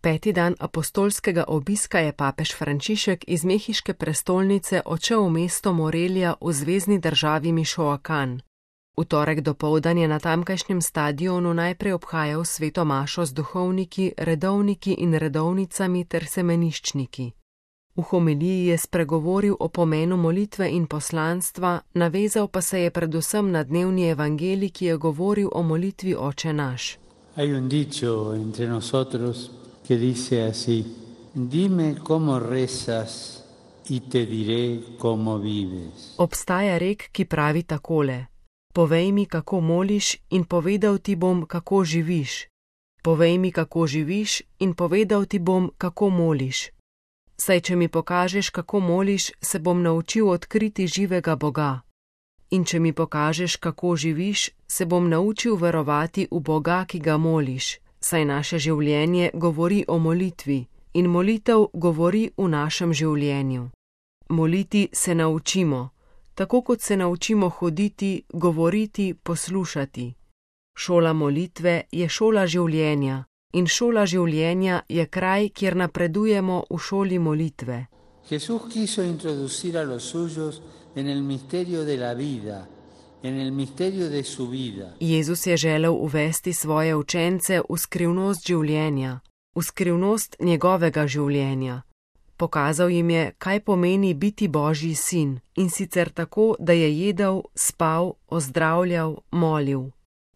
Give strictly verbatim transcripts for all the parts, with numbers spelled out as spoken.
Peti dan apostolskega obiska je papež Frančišek iz mehiške prestolnice odšel v mesto Morelia v zvezni državi Mišoakan. V torek dopoldan je na tamkajšnjem stadionu najprej obhajal sveto mašo z duhovniki, redovniki in redovnicami ter semeniščniki. V homiliji je spregovoril o pomenu molitve in poslanstva, navezal pa se je predvsem na dnevni evangelij, ki je govoril o molitvi Oče naš. Hay un dicho entre nosotros que dice así: Dime cómo rezas y te diré cómo vives. Obstaja rek, ki pravi takole: Povej mi, kako moliš, in povedal ti bom, kako živiš. Povej mi, kako živiš, in povedal ti bom, kako moliš. Saj, če mi pokažeš, kako moliš, se bom naučil odkriti živega Boga. In če mi pokažeš, kako živiš, se bom naučil verovati v Boga, ki ga moliš, saj naše življenje govori o molitvi in molitev govori v našem življenju. Moliti se naučimo, tako kot se naučimo hoditi, govoriti, poslušati. Šola molitve je šola življenja in šola življenja je kraj, kjer napredujemo v šoli molitve. Jesús quiso introducir a los suyos en el misterio de la vida, en el misterio de su vida. Jezus je želel uvesti svoje učence v skrivnost življenja, v skrivnost njegovega življenja. Pokazal jim je, kaj pomeni biti Božji sin, in sicer tako, da je jedel, spal, ozdravljal, molil.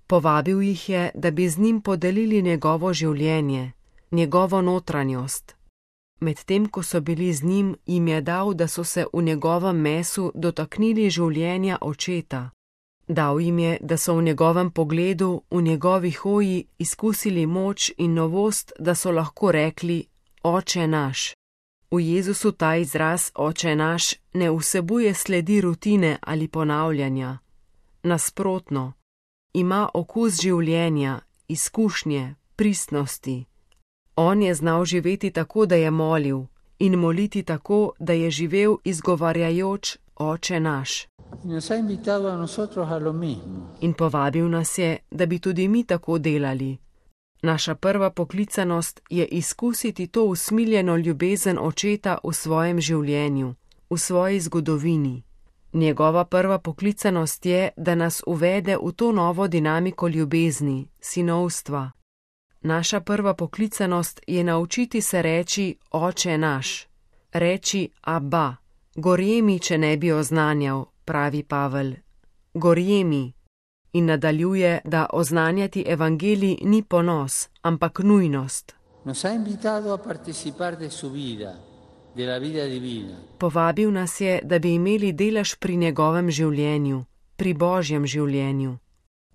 Povabil jih je, da bi z njim podelili njegovo življenje, njegovo notranjost. Medtem, ko so bili z njim, jim je dal, da so se v njegovem mesu dotaknili življenja Očeta. Dal jim je, da so v njegovem pogledu, v njegovi hoji izkusili moč in novost, da so lahko rekli: Oče naš. V Jezusu ta izraz Oče naš ne vsebuje sledi rutine ali ponavljanja. Nasprotno, ima okus življenja, izkušnje, pristnosti. On je znal živeti tako, da je molil, in moliti tako, da je živel izgovarjajoč Oče naš. In povabil nas je, da bi tudi mi tako delali. Naša prva poklicanost je izkusiti to usmiljeno ljubezen Očeta v svojem življenju, v svoji zgodovini. Njegova prva poklicanost je, da nas uvede v to novo dinamiko ljubezni, sinovstva. Naša prva poklicanost je naučiti se reči Oče naš, reči Abba. Gorje mi, če ne bi oznanjal, pravi Pavel. Gorje mi. In nadaljuje, da oznanjati evangelij ni ponos, ampak nujnost. Povabil nas je, da bi imeli delež pri njegovem življenju, pri Božjem življenju.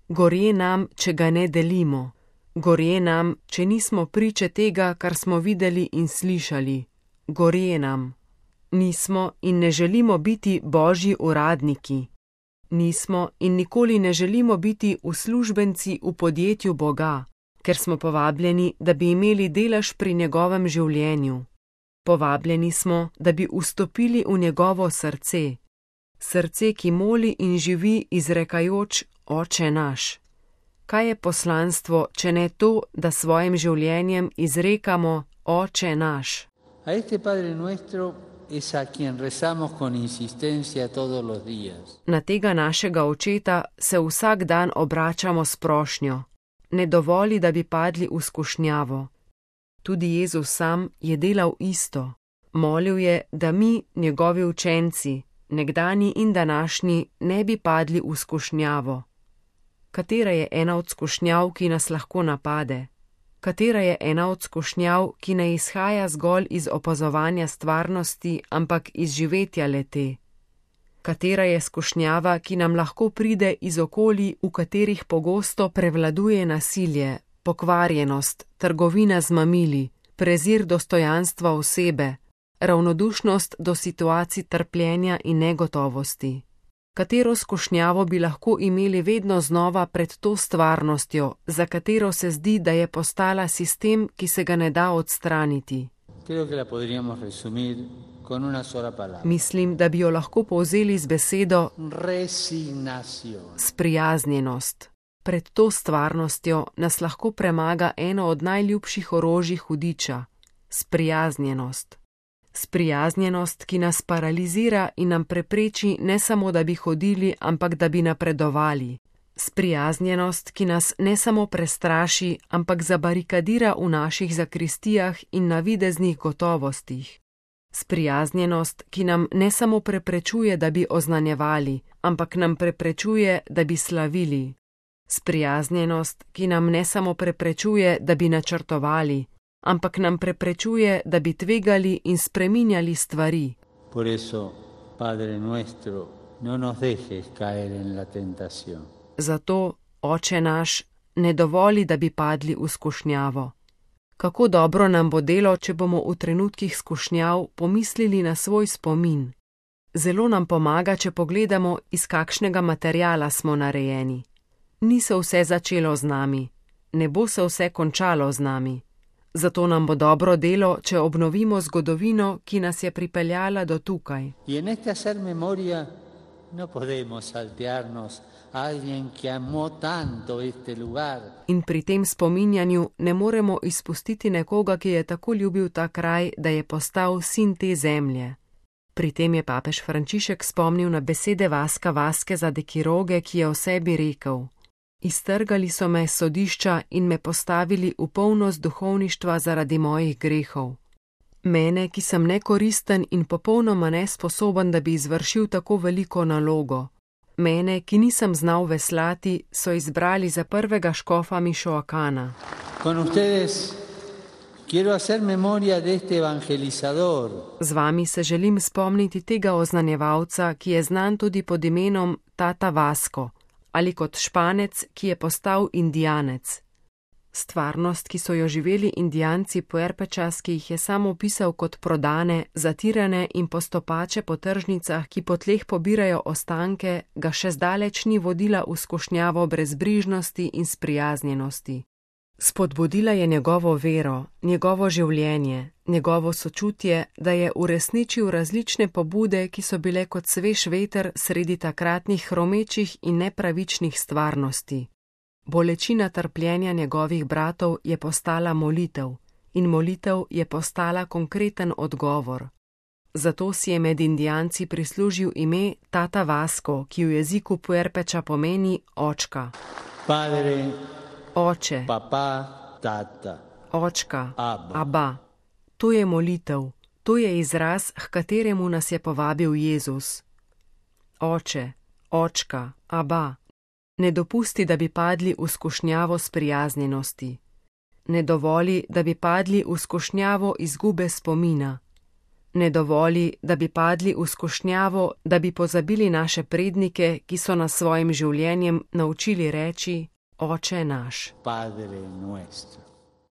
Gorje nam, če ga ne delimo. Gorje nam, če nismo priče tega, kar smo videli in slišali. Gorje nam. Nismo in ne želimo biti Božji uradniki. Nismo in nikoli ne želimo biti uslužbenci v podjetju Boga, ker smo povabljeni, da bi imeli delež pri njegovem življenju. Povabljeni smo, da bi vstopili v njegovo srce. Srce, ki moli in živi izrekajoč Oče naš. Kaj je poslanstvo, če ne to, da svojim življenjem izrekamo Oče naš? A este Padre nuestro es a quien rezamos con insistencia todos los días. Na tega našega Očeta se vsak dan obračamo s prošnjo. Ne dovoli, da bi padli v skušnjavo. Tudi Jezus sam je delal isto. Molil je, da mi, njegovi učenci, nekdanji in današnji, ne bi padli v skušnjavo. Katera je ena od skušnjav, ki nas lahko napade? Katera je ena od skušnjav, ki ne izhaja zgolj iz opazovanja stvarnosti, ampak iz živetja le-te? Katera je skušnjava, ki nam lahko pride iz okolij, v katerih pogosto prevladuje nasilje, pokvarjenost, trgovina z mamili, prezir dostojanstva osebe, ravnodušnost do situacij trpljenja in negotovosti? Katero skušnjavo bi lahko imeli vedno znova pred to stvarnostjo, za katero se zdi, da je postala sistem, ki se ga ne da odstraniti? Mislim, da bi jo lahko povzeli z besedo sprijaznjenost. Pred to stvarnostjo nas lahko premaga eno od najljubših orožij hudiča – sprijaznjenost. Sprijaznjenost, ki nas paralizira in nam prepreči ne samo, da bi hodili, ampak da bi napredovali. Sprijaznjenost, ki nas ne samo prestraši, ampak zabarikadira v naših zakristijah in navideznih gotovostih. Sprijaznjenost, ki nam ne samo preprečuje, da bi oznanjevali, ampak nam preprečuje, da bi slavili. Sprijaznjenost, ki nam ne samo preprečuje, da bi načrtovali, ampak nam preprečuje, da bi tvegali in spreminjali stvari. Por eso, Padre nuestro, no nos dejes caer en la tentación. Zato, Oče naš, ne dovoli, da bi padli v skušnjavo. Kako dobro nam bo delo, če bomo v trenutkih skušnjav pomislili na svoj spomin. Zelo nam pomaga, če pogledamo, iz kakšnega materiala smo narejeni. Ni se vse začelo z nami, ne bo se vse končalo z nami. Zato nam bo dobro delo, če obnovimo zgodovino, ki nas je pripeljala do tukaj. Y en este hacer memoria no podemos saltearnos a alguien que amó tanto este lugar. In pri tem spominjanju ne moremo izpustiti nekoga, ki je tako ljubil ta kraj, da je postal sin te zemlje. Pri tem je papež Frančišek spomnil na besede Vaska Vaskeza de Quiroge, ki je o sebi rekel: Iztrgali so me s sodišča in me postavili v polnost duhovništva zaradi mojih grehov. Mene, ki sem nekoristen in popolnoma nesposoben, da bi izvršil tako veliko nalogo. Mene, ki nisem znal veslati, so izbrali za prvega škofa Mišoakana. Con ustedes quiero hacer memoria de este evangelizador. Z vami se želim spomniti tega oznanjevalca, ki je znan tudi pod imenom Tata Vasko, ali kot Španec, ki je postal Indijanec. Stvarnost, ki so jo živeli Indijanci Puerpečas, ki jih je sam opisal kot prodane, zatirane in postopače po tržnicah, ki po tleh pobirajo ostanke, ga še zdaleč ni vodila v skušnjavo brezbrižnosti in sprijaznjenosti. Spodbudila je njegovo vero, njegovo življenje, njegovo sočutje, da je uresničil različne pobude, ki so bile kot svež veter sredi takratnih hromečih in nepravičnih stvarnosti. Bolečina trpljenja njegovih bratov je postala molitev in molitev je postala konkreten odgovor. Zato si je med Indijanci prislužil ime Tata Vasko, ki v jeziku Puerpeča pomeni očka. Padre, Oče, papá, tata, očka, Abba. Abba. To je molitev, to je izraz, h kateremu nas je povabil Jezus. Oče, očka, Abba. Ne dopusti, da bi padli v skušnjavo sprijaznjenosti. Ne dovoli, da bi padli v skušnjavo izgube spomina. Ne dovoli, da bi padli v skušnjavo, da bi pozabili naše prednike, ki so nas svojim življenjem naučili reči: Oče naš. Padre nuestro.